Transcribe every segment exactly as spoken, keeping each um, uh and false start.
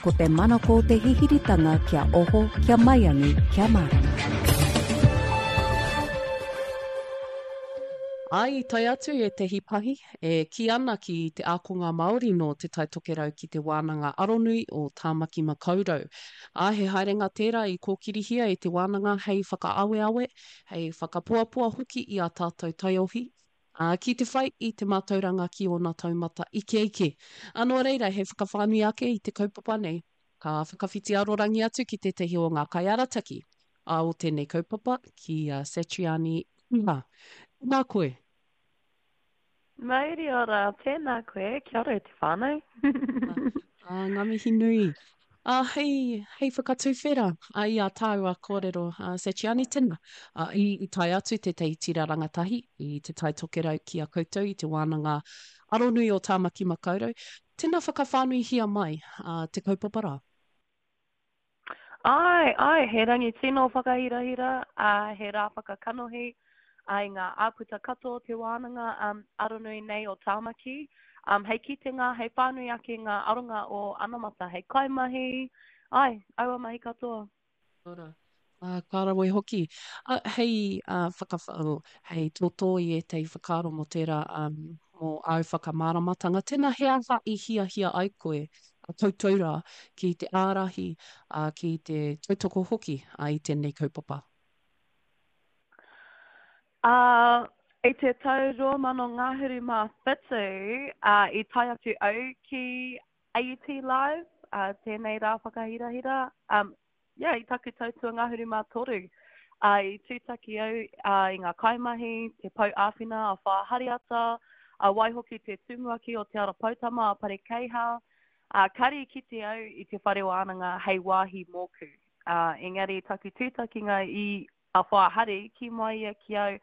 Ko te manako o te hihiritanga kia oho, kia maiangi, kia mārama. Ā, i tae atu ētehi pahi e kī ana ki te ākonga Māori nō Te Tai Tokerau ki Te Wānanga Aronui o Tāmaki Makaurau. Ā, he haerenga tērā i kōkirihia e te wānanga hei whakaaweawe, hei whakapoapoa hoki i ā tātou taiohi, ā, ki te whai i te mātauranga ki ōna taumata ikeike. Ā, nō reira, he whakawhānui ake i te kaupapa nei, ka whakawhiti arorangi atu ki tētahi o ngā kaiarataki, ā, o tēnei kaupapa, ki a Satriani Iha. Tēnā koe. Mauri ora, tēnā koe, kia ora e te whānau. Ā, ngā mihi nui. Ā, hei, hei whakatuwhera i ā tāua kōrero, ā, Satriani, tēnā, ā, i, i tae atu tētahi tira rangatahi i Te Tai Tokerau ki a koutou i te wānanga aronui o Tāmaki Makaurau. Tēnā whakawhānuihia mai, ā, te kaupapa rā. Āe, āe, he rangi tino whakahirahira, ā, he rā whakakanohi, ā, i ngā āputa katoa o te wānanga um, aronui nei o Tāmaki. Um, hei kitenga, hei whānui ake ngā aronga o anamata hei kaimahi, āe, aua mahi katoa. Kia ora. Ā, ka rawe hoki. Ā, hei, ā, whakawha, hei tōtō i ētahi whakaaro mō tērā, ā, mō āu whakamāramatanga. Tēnā, he aha i hiahia ai koe, a koutou rā, ki te ārahi, ā, ki te tautoko hoki, ā, i tēnei kaupapa? Ā, i te tau rua mano ngahuru mā whitu, ā, i tae atu au ki A U T Live, ā, tēnei rā whakahirahira, ā, yeah, i taku tau tuangahuru mā toru, ā, i tūtaki au ā, i ngā kaimahi, te pou āwhina a Whaea Hariata, ā, waihoki te tumuaki o Te Ara Poutama a Pare Keiha, ā, kāre i kite au i te whare wānanga hei wāhi mōku. Ā, engari taku tūtakinga i a Whaea Hari, kī mai ia ki au,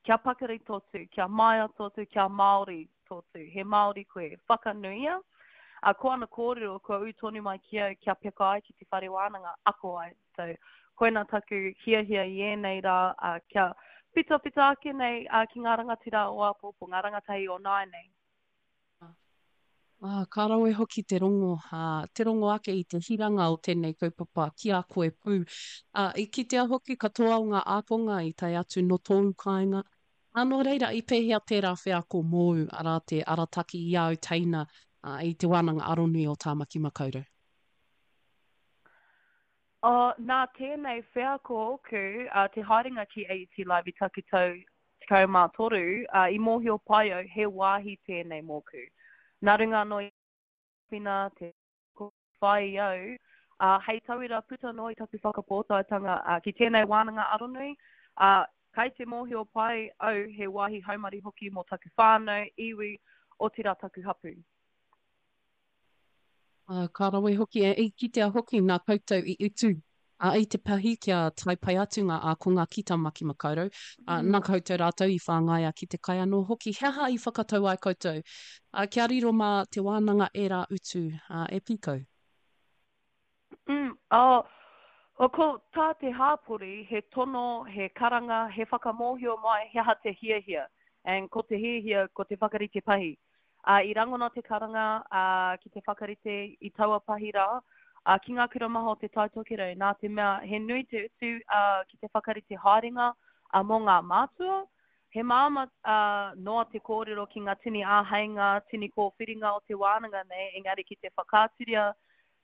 kia pakari tō tū, kia māia tō tū, kia Māori tō tū, he Māori koe, whakanuia. Ā, ko ana kōrero kua ū tonu mai ki au kia peka ai ki te whare wānanga, ako ai. So, koina taku hiahia i ēnei rā, ā, kia whitawhita ake nei ā, ki ngā rangatira o āpōpō, ngā rangatahi o nāianei. Ā, ka rawe hoki te rongo, ā, te rongo ake i te hiranga o tēnei kaupapa ki a koe pū. Ā, i kitea hoki katoa o ngā ākonga i tae atu nō tōu kāinga. Ā, nō reira, i pēhea tērā wheako mōu, arā, te arataki i āu teina, ā, i Te Wānanga Aronui o Tāmaki Makaurau? Ā, nā tēnei wheako ōku, ā, te haerenga ki A U T Live i taku tau tekau mā toru, ā, i mōhio pai au he wāhi tēnei mōku. Nā runga anō i te āwhina, te whai i au, ā, hei tauira puta noa i taku whakapōtaetanga, ā, ki tēnei wānanga aronui, ā, kai te mōhio pai au he wāhi haumaru hoki mō taku whānau, iwi, otirā taku hapū. Ā, ka rawe hoki, e, i kitea hoki nā koutou i utu, ā, i te pahi kia tae pai atu ngā ākonga ki Tamaki Makaurau, ā, nā koutou rātou i whāngaia ki te kai anō hoki. He aha i whakatau ai koutou, ā, kia riro mā te wānanga ērā utu, ā, e pīkau? Mm, oh, oh, ko tā te hāpori, he tono, he karanga, he whakamōhio mai he aha te hiahia. And ko te hiahia, ko te whakarite pahi. Ā, i rangona te karanga, ā, ki te whakarite i taua pahi rā, ā, ki ngā kura maha o Te Tai Tokerau, nā te mea he nui te utu, ā, ki te whakarite haerenga, ā, mō ngā mātua. He māmā, ā, noa te kōrero ki ngā tini āheinga, tini kōwhiringa o te wānanga nei, engari ki te whakaaturia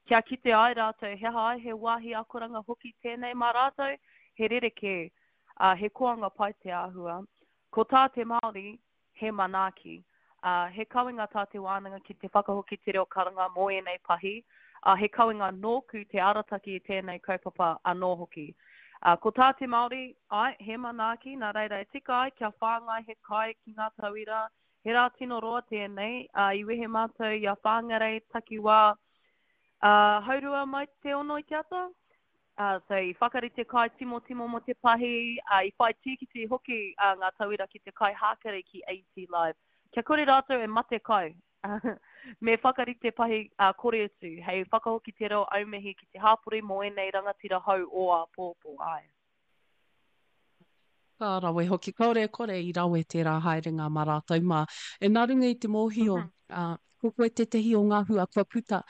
kia kite ai rātou he aha ai he wāhi akoranga hoki tēnei mā rātou, he rerekē, ā, he koanga pai te āhua. Ko tā te Māori, he manaaki. Ā, he kawenga tā te wānanga ki te whakahoki te reo karanga mō ēnei pahi, ā, he kawenga nōku te arataki i tēnei kaupapa anō hoki. Ā, ko tā te Māori, āe, he manaaki, nā reira e tika ai kia whāngai he kai ki ngā tauira, he rā tino roa tēnei, ā, i wehe mātou i a Whāngarei takiwā, ā, haurua mai te ono i te ata, Ā, so i whakarite kai timotimo mō te pahi, ā, i whai tīkiti hoki ā, ngā tauira ki te kai hākari ki A U T Live. Kia kore rātou e mate kai, me whakarite pahi ā, kore utu, hei whakahoki te reo aumihi ki te hāpori mō ēnei rangatira hou o āpōpō, āe. Ka rawe hoki, kāore e kore i rawe tērā haerenga mā rātou mā. E nā runga i te mōhio, ā, Ko koe tētehi o ngā hua kua puta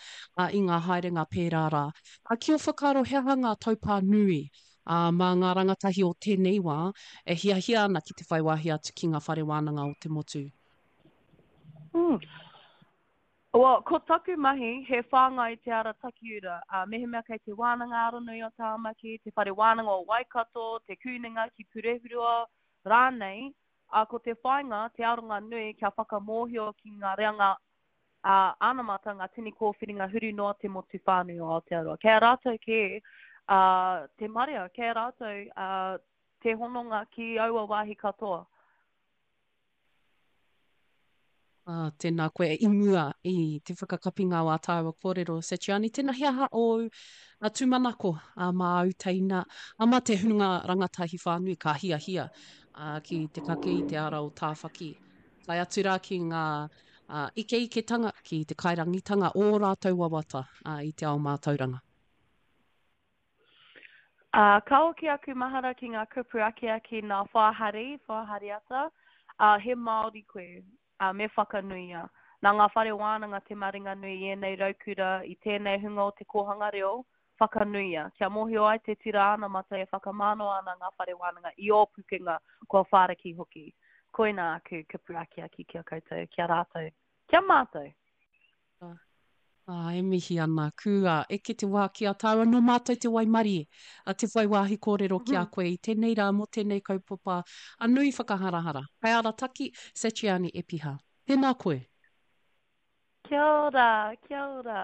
i ngā haerenga pērā rā. Ki ō whakaaro he aha ngā taupā nui mā ngā rangatahi o tēnei wā e hiahia ana ki te whai wāhi atu ki ngā whare wānanga o te motu? Mm. Well, ko taku mahi, he whāngai i te ara takiura. Uh, mehemea kei te wānanga aronui o Tāmaki, te whare wānanga o Waikato, te Kunenga ki Purehurua rānei, uh, ko te whāinga, te aronga nui kia whakamōhio ki ngā reanga uh, anamata, ngā tini kōwhiringa huri noa te motu whānui o Aotearoa. Kei a rātou kē uh, te marea, kei a rātou uh, te hononga ki aua wāhi katoa. Ah, tēnā koe i mua i te whakakapinga o ā tāua kōrero, Satriani, tēnā he aha ōu a tūmanako a mā āu teina, a mā te hunga rangatahi whānui ka hiahia a, ki te kake i te ara o Tāwhaki. Tae atu rā ki ngā a, ikeiketanga, ki te kairangitanga o ō rātou wawata a, i te ao mātauranga. Ā, ka hoki aku mahara ki ngā kupu akiaki nā Whāhari, Whāhariata, ā, he Māori koe, ā, me whakanuia. Nā ngā whare wānanga te maringanui i ēnei raukura, i tēnei hunga o te kōhanga reo, whakanuia, kia mōhio ai te tira anamata e whakamānawa ana ngā whare wānanga i ō pukenga kua whāriki hoki. Koinā aku kupu akiaki ki a koutou, ki a rātou, ki a mātou. Ā, e mihi ana, kua eke te wā ki a tāua, nō mātou te waimarie, a te whai wāhi kōrero ki a koe i tēnei rā mō tēnei kaupapa a nui whakaharahara. Kaiarataki, Satriani Epiha. Tēnā koe. Kia ora, kia ora.